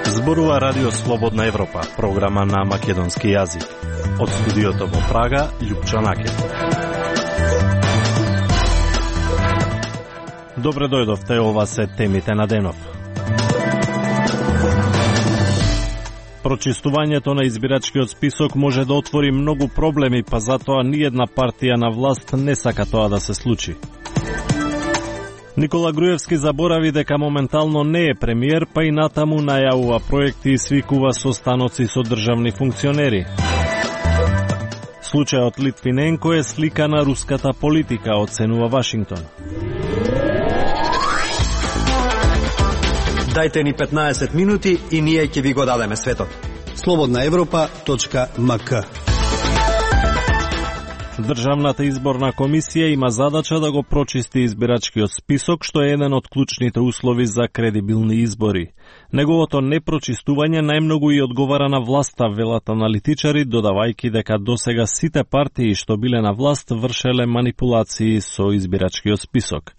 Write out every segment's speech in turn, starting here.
Зборува Радио Слободна Европа, програма на македонски јазик. Од студиото во Прага, Љупчо Накев. Добре дојдовте, ова се темите на денов. Прочистувањето на избирачкиот список може да отвори многу проблеми, па затоа ниедна партија на власт не сака тоа да се случи. Никола Груевски заборави дека моментално не е премиер, па и натаму најавува проекти и свикува состаноци со државни функционери. Случајот Литвиненко е слика на руската политика, оценува Вашингтон. Дајте ни 15 минути и ние ќе ви го дадеме светот. slobodnaevropa.mk. Државната изборна комисија има задача да го прочисти избирачкиот список, што е еден од клучните услови за кредибилни избори. Неговото непрочистување најмногу и одговара на власта, велат аналитичари, додавајќи дека досега сите партии што биле на власт вршеле манипулации со избирачкиот список.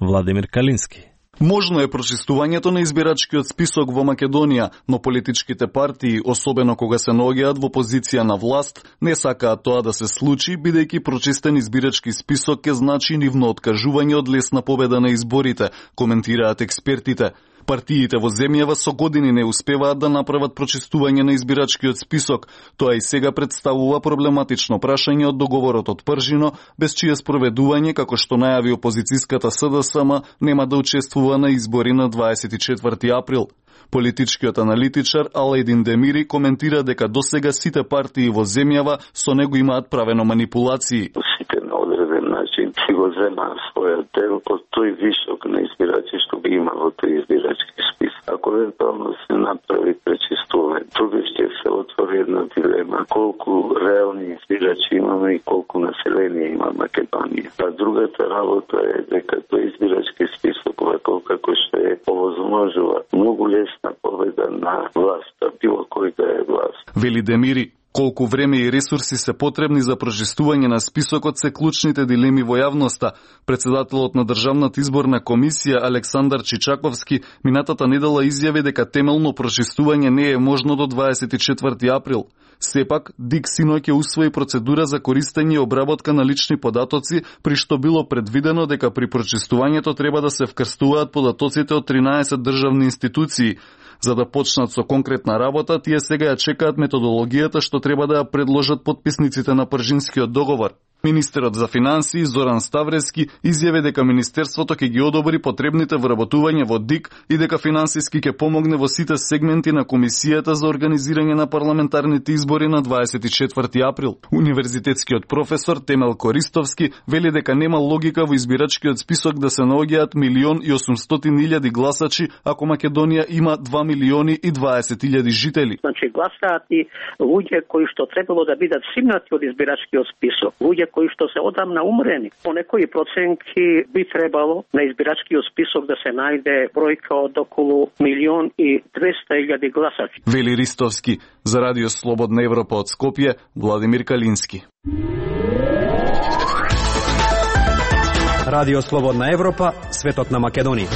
Владимир Калински. Можно е прочистувањето на избирачкиот список во Македонија, но политичките партии, особено кога се наоѓаат во позиција на власт, не сакаат тоа да се случи, бидејќи прочистен избирачки список ќе значи нивно откажување од лесна победа на изборите, коментираат експертите. Партиите во земјава со години не успеваат да направат прочистување на избирачкиот список. Тоа и сега представува проблематично прашање од договорот од Пржино, без чие спроведување, како што најави опозицијската СДСМ, нема да учествува на избори на 24 април. Политичкиот аналитичар Алајдин Демири коментира дека досега сите партии во земјава со него имаат правено манипулации. Сите на одреден начин си го зема својот дел од тој вишок на избирачи што ги има во тој избирачки спис. Ако евентуално се направи пречистување, тука ќе се отвори една дилема колку реални избирачи имаме и колку население има Македонија. А другата работа е дека тој избирачки список ваков како што е овозможува многу лесна победа на власта, било кој да е власт. Вели Демири, колку време и ресурси се потребни за прочистување на списокот се клучните дилеми во јавноста. Председателот на Државната изборна комисија Александар Чичаковски минатата недела изјави дека темелно прочистување не е можно до 24 април. Сепак, ДИК синоќ ќе усвои процедура за користење и обработка на лични податоци, при што било предвидено дека при прочистувањето треба да се вкрстуваат податоците од 13 државни институции. За да почнат со конкретна работа, тие сега ја чекаат методологијата што треба да ја предложат потписниците на Пржинскиот договор. Министерот за финансии Зоран Ставрески изјави дека Министерството ќе ги одобри потребните вработувања во ДИК и дека финансиски ќе помогне во сите сегменти на Комисијата за организирање на парламентарните избори на 24 април. Универзитетскиот професор Темел Користовски вели дека нема логика во избирачкиот список да се наоѓаат 1.800.000 гласачи ако Македонија има 2.020.000 жители. Значи гласаат и луѓе кои што требало да бидат симнати од избирачкиот список, луѓе кои што се одамна умрени. По некои проценки би требало на избирачкиот список да се најде бројка од околу 1.200.000 гласачи. Вели Ристовски, за Радио Слободна Европа од Скопје, Владимир Калински. Радио Слободна Европа, светот на Македонија.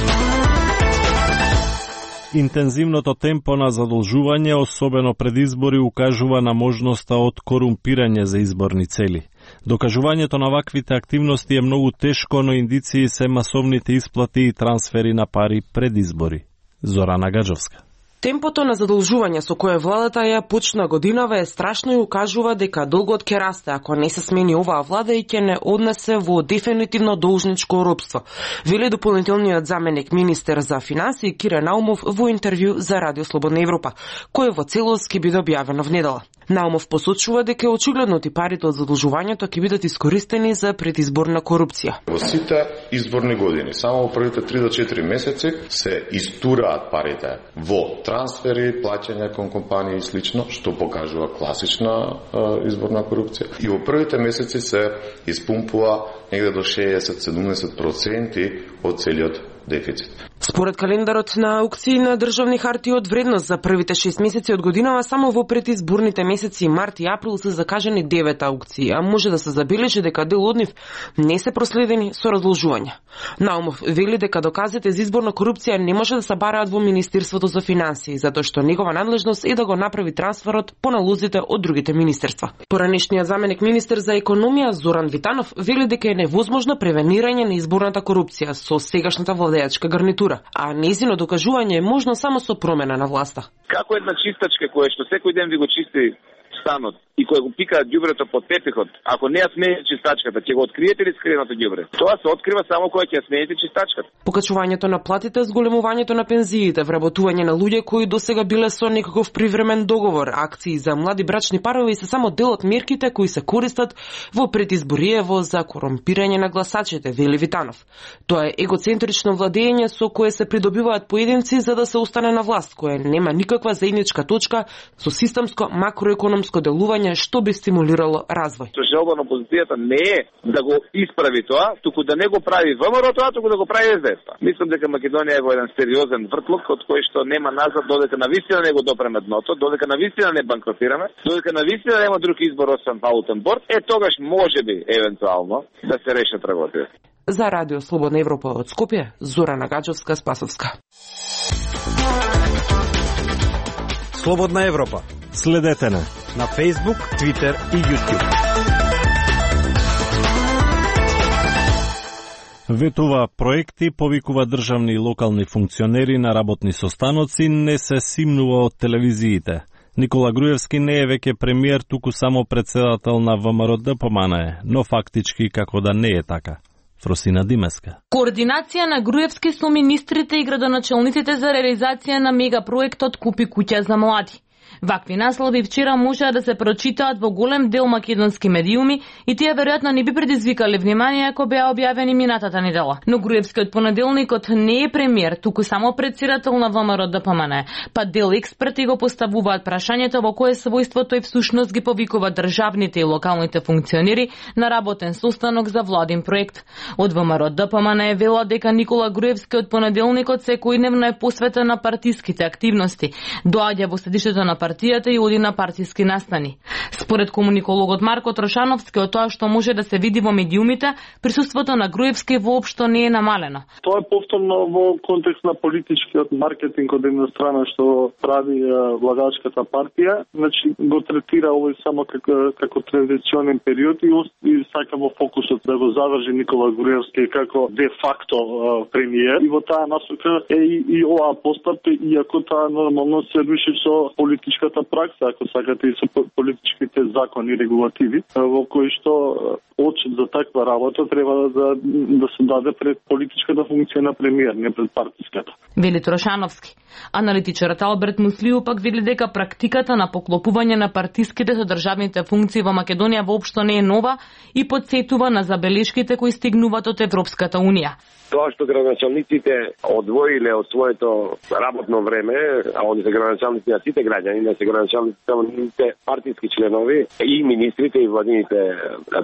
Интензивното темпо на задолжување, особено пред избори, укажува на можноста од корумпирање за изборни цели. Докажувањето на ваквите активности е многу тешко, но индиции се масовните исплати и трансфери на пари пред избори. Зорана Гаджовска. Темпото на задолжување со кое владата ја почна годинава е страшно и укажува дека долгот ќе расте ако не се смени оваа влада и ќе не однесе во дефинитивно должничко робство, вели дополнителниот заменик министер за финансии Кире Наумов во интервју за Радио Слободна Европа, кој во целост ќе биде објавено внедела. Наумов посочува дека очигледно парите од задолжувањето ќе бидат искористени за предизборна корупција. Во сите изборни години, само во првите 3 до 4 месеци се истураат парите во трансфери, плаќања кон компании и слично, што покажува класична изборна корупција. И во првите месеци се испумпува негде до 60-70% од целиот дефицит. Според календарот на аукции на државни хартии од вредност за првите 6 месеци од годинава, само во предизборните месеци март и април се закажани 9 аукции, а може да се забележи дека дел од нив не се проследени со разложување. Наумов вели дека доказите за изборна корупција не може да се бараат во Министерството за финансии, затоа што негова надлежност е да го направи трансферот по налозите од другите министерства. Поранешниот заменик министер за економија Зоран Витанов вели дека е невозможно превенирање на изборната корупција со сегашната владеачка гарнитура, а нејзино докажување е можно само со промена на власта. Како една чистачка која што секој ден ви го чисти станот и кој го пика ѓубрето под тепихот, ако не ја смените чистачката, ќе го откриете ли скриеното ѓубре? Тоа се открива само кога ќе ја смените чистачката. Покачувањето на платите, зголемувањето на пензиите, вработување на луѓе кои досега биле со некаков привремен договор, акции за млади брачни парови се само дел од мерките кои се користат во предизбориево за корумпирање на гласачите, вели Витанов. Тоа е егоцентрично владење со кое се придобиваат поединци за да се остане на власт, која нема никаква заедничка точка со системско макроекономско делување што би стимулирало развој. Желба на опозицијата не е да го исправи тоа, туку да не го прави ВМРО тоа, туку да го прави СДС. Мислам дека Македонија е во еден сериозен вртлок од кој што нема назад додека навистина не го допреме дното, додека навистина не банкротираме, додека навистина нема друг избор освен валутен борд, тогаш можеби евентуално да се решат работите. За Радио Слободна Европа од Скопје, Зорана Гаджовска-Спасовска. Слободна Европа. Следете на Facebook, Twitter и YouTube. Ветува проекти, повикува државни и локални функционери на работни состаноци, не се симнува од телевизиите. Никола Груевски не е веќе премиер, туку само председател на ВМРО-ДПМНЕ, но фактички како да не е така. Фросина Димеска. Координација на Груевски со министрите и градоначалниците за реализација на мегапроектот Купи куќа за млади. Вакви наслови вчера можеа да се прочитаат во голем дел македонски медиуми и тие веројатно не би предизвикале внимание ако беа објавени минатата недела. Но Груевски од понеделникот не е премиер, туку само председател на ВМРО-ДПМНЕ, па дел експерти го поставуваат прашањето во кое својство тој всушност ги повикува државните и локалните функционери на работен состанок за владин проект. Од ВМРО-ДПМНЕ велат дека Никола Груевски од понеделникот секојдневно е посветен на партиските активности. Доаѓа во седишето на партијата и оди на партиски настани. Според комуникологот Марко Трошановски, од тоа што може да се види во медиумите, присуството на Груевски воопшто не е намалено. Тоа е повторно во контекст на политичкиот маркетинг од една страна што прави владачката партија, значи го третира овој само како транзиционен период и сака во фокусот да го задржи Никола Груевски како де факто премиер. И во таа насока е и оваа постапка, иако таа нормално се руши со политичката пракса, ако сакате и со политичките закони и регулативи, во кои што очит за таква работа треба да се даде пред политичката функција на премиер, не пред партиската. Вели Трошановски. Аналитичарот Алберт Муслиу пак вели дека практиката на поклопување на партиските со државните функции во Македонија воопшто не е нова и потсетува на забелешките кои стигнуваат од Европската Унија. Тоа што градоначалниците одвоиле од своето работно време, а они се градоначалници на сите граѓани, не се градоначалници само на партиски членови и министрите и владините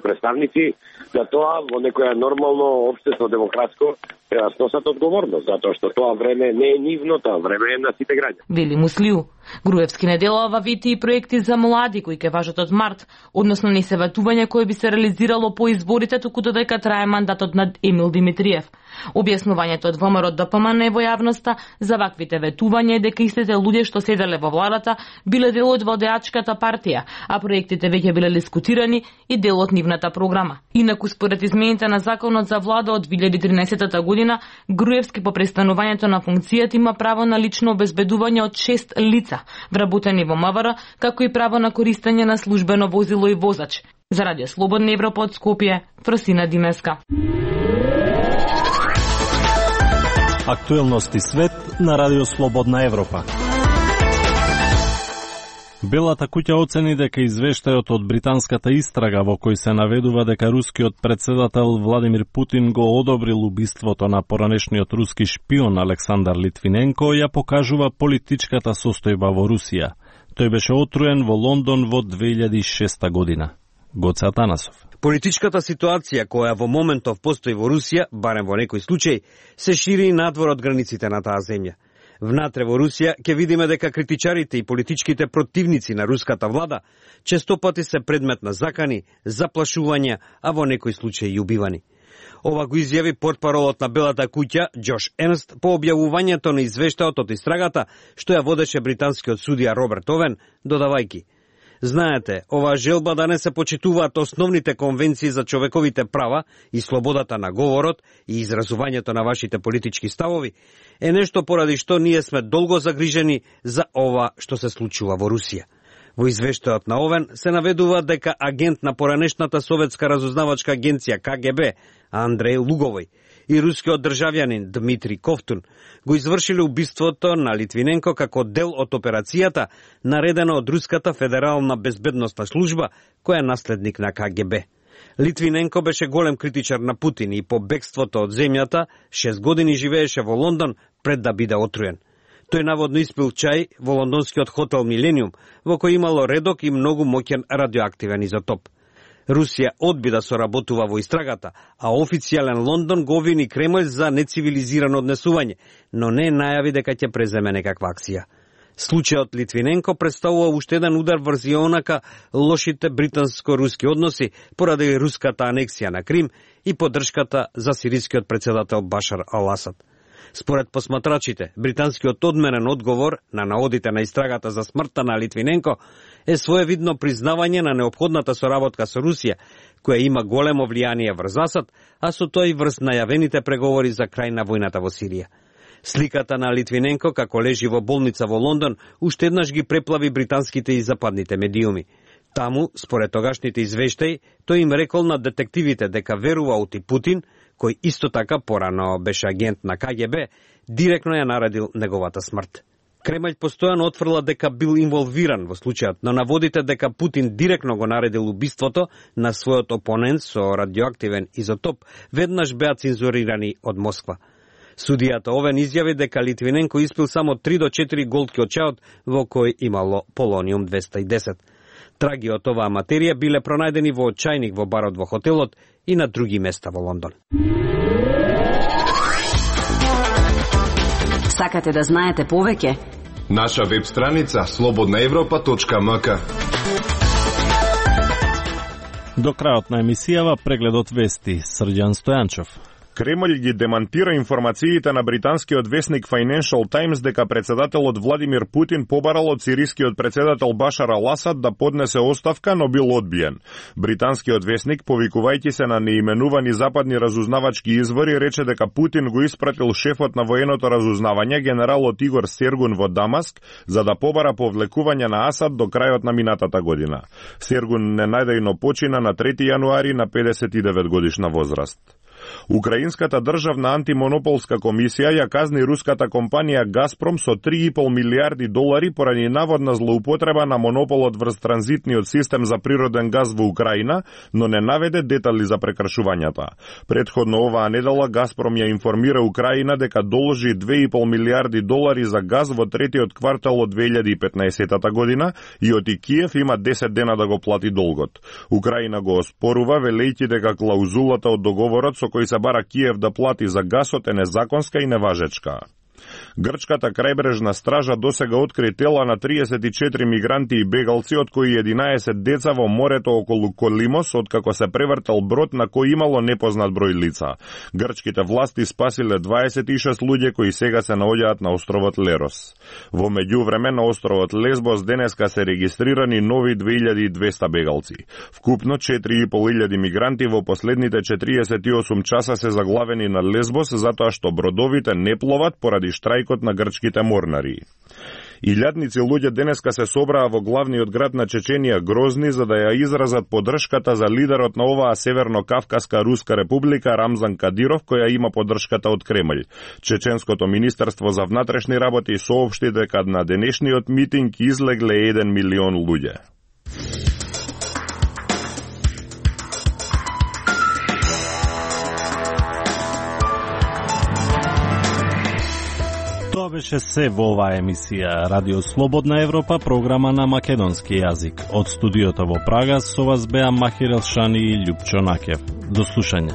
представници, за тоа во некоја нормално општество демократско треба сносат одговорност, затоа што тоа време не е нивно, тоа време е на сите граѓани. Вели Муслиу. Груевски не делува вити и проекти за млади кои ќе важат од март, односно не се ветување кој би се реализирало по изборите туку додека трае мандатот на Емил Димитриев. Објаснувањето од ВМРО-ДПМНЕ во јавноста за ваквите ветувања е дека истите луѓе што седеле во владата биле дел од водеачката партија, а проектите веќе биле дискутирани и дел од нивната програма. Инаку според измените на законот за влада од 2013 година, Груевски по престанувањето на функцијата има право на лично обезбедување од 6 лица, вработени во МВР, како и право на користење на службено возило и возач. За Радио Слободна Европа од Скопје, Фросина Димеска. Актуелности свет на Радио Слободна Европа. Белата куќа оцени дека извештајот од британската истрага во кој се наведува дека рускиот председател Владимир Путин го одобрил убиството на поранешниот руски шпион Александар Литвиненко ја покажува политичката состојба во Русија. Тој беше отруен во Лондон во 2006 година. Гоце Атанасов. Политичката ситуација која во моментов постои во Русија, барем во некој случај, се шири надвор од границите на таа земја. Внатре во Русија ќе видиме дека критичарите и политичките противници на руската влада честопати се предмет на закани, заплашувања, а во некој случај и убивани. Ова го изјави портпаролот на Белата куќа Џош Ернст по објавувањето на извештајот од истрагата што ја водеше британскиот судија Роберт Овен, додавајки: знаете, оваа желба да не се почитуваат основните конвенции за човековите права и слободата на говорот и изразувањето на вашите политички ставови е нешто поради што ние сме долго загрижени за ова што се случува во Русија. Во извештајот на Овен се наведува дека агент на поранешната советска разузнавачка агенција КГБ Андреј Луговој и рускиот државјанин Дмитрий Ковтун го извршиле убиството на Литвиненко како дел од операцијата наредена од Руската федерална безбедносна служба, која е наследник на КГБ. Литвиненко беше голем критичар на Путин и по бегството од земјата 6 години живееше во Лондон пред да биде отруен. Тој наводно испил чај во лондонскиот хотел Милениум, во кој имало редок и многу моќен радиоактивен изотоп. Русија одби да соработува во истрагата, а официјален Лондон го обвини Кремљ за нецивилизирано однесување, но не најави дека ќе преземе некаква акција. Случајот Литвиненко представува уште еден удар врз онака лошите британско-руски односи поради руската анексија на Крим и поддршката за сирискиот председател Башар ал-Асад. Според посматрачите, британскиот одменен одговор на наодите на истрагата за смртта на Литвиненко е своевидно признавање на неопходната соработка со Русија, која има големо влијание врз Асад, а со тоа и врз најавените преговори за крај на војната во Сирија. Сликата на Литвиненко како лежи во болница во Лондон уште еднаш ги преплави британските и западните медиуми. Таму, според тогашните извештаи, тој им рекол на детективите дека верува оти Путин, кој исто така порано беше агент на КГБ, директно ја наредил неговата смрт. Кремљ постојано отфрла дека бил инволвиран во случајот, но наводите дека Путин директно го наредил убиството на својот опонент со радиоактивен изотоп веднаш беа цензурирани од Москва. Судијата Овен изјави дека Литвиненко испил само 3 до 4 голтки од чајот во кој имало полониум 210. Траги од оваа материја биле пронајдени во чајник во барот во хотелот и на други места во Лондон. Сакате да знаете повеќе? Наша веб страница slobodnaevropa.mk. До крајот на емисијава прегледот вести Срđan Стојанчов. Кремљ ги демантира информациите на британскиот весник Financial Times дека председателот Владимир Путин побарал од сирискиот председател Башар ал-Асад да поднесе оставка, но бил одбиен. Британскиот весник, повикувајќи се на неименувани западни разузнавачки извори, рече дека Путин го испратил шефот на военото разузнавање, генералот Игор Сергун во Дамаск, за да побара повлекување на Асад до крајот на минатата година. Сергун ненајдејно почина на 3 јануари на 59 годишна возраст. Украинската државна антимонополска комисија ја казни руската компанија Газпром со 3,5 милиарди долари поради наводна злоупотреба на монополот врз транзитниот систем за природен газ во Украина, но не наведе детали за прекршувањата. Претходно оваа недела Газпром ја информира Украина дека должи 2,5 милиарди долари за газ во третиот квартал од 2015 година и од Киев има 10 дена да го плати долгот. Украина го оспорува, велејќи дека клаузулата од договорот со кој се бара Киев да плати за гасот е незаконска и неважечка. Грчката крајбрежна стража досега откри тела на 34 мигранти и бегалци, од кои 11 деца во морето околу Колимос, откако се превртел брод на кој имало непознат број лица. Грчките власти спасиле 26 луѓе кои сега се наоѓаат на островот Лерос. Во меѓувреме на островот Лесбос денеска се регистрирани нови 2200 бегалци. Вкупно 4500 мигранти во последните 48 часа се заглавени на Лесбос затоа што бродовите не пловат поради штрајкот на грчките морнари. Илјадници луѓе денеска се собраа во главниот град на Чеченија Грозни за да ја изразат поддршката за лидерот на оваа Северно-Кавказска Руска република Рамзан Кадиров, која има поддршката од Кремљ. Чеченското министерство за внатрешни работи соопшти дека на денешниот митинг излегле 1 милион луѓе. беше се во оваа емисија Радио Слободна Европа, програма на македонски јазик. Од студиото во Прага со вас беа Махир Елшани и Љупчо Накев. До слушање.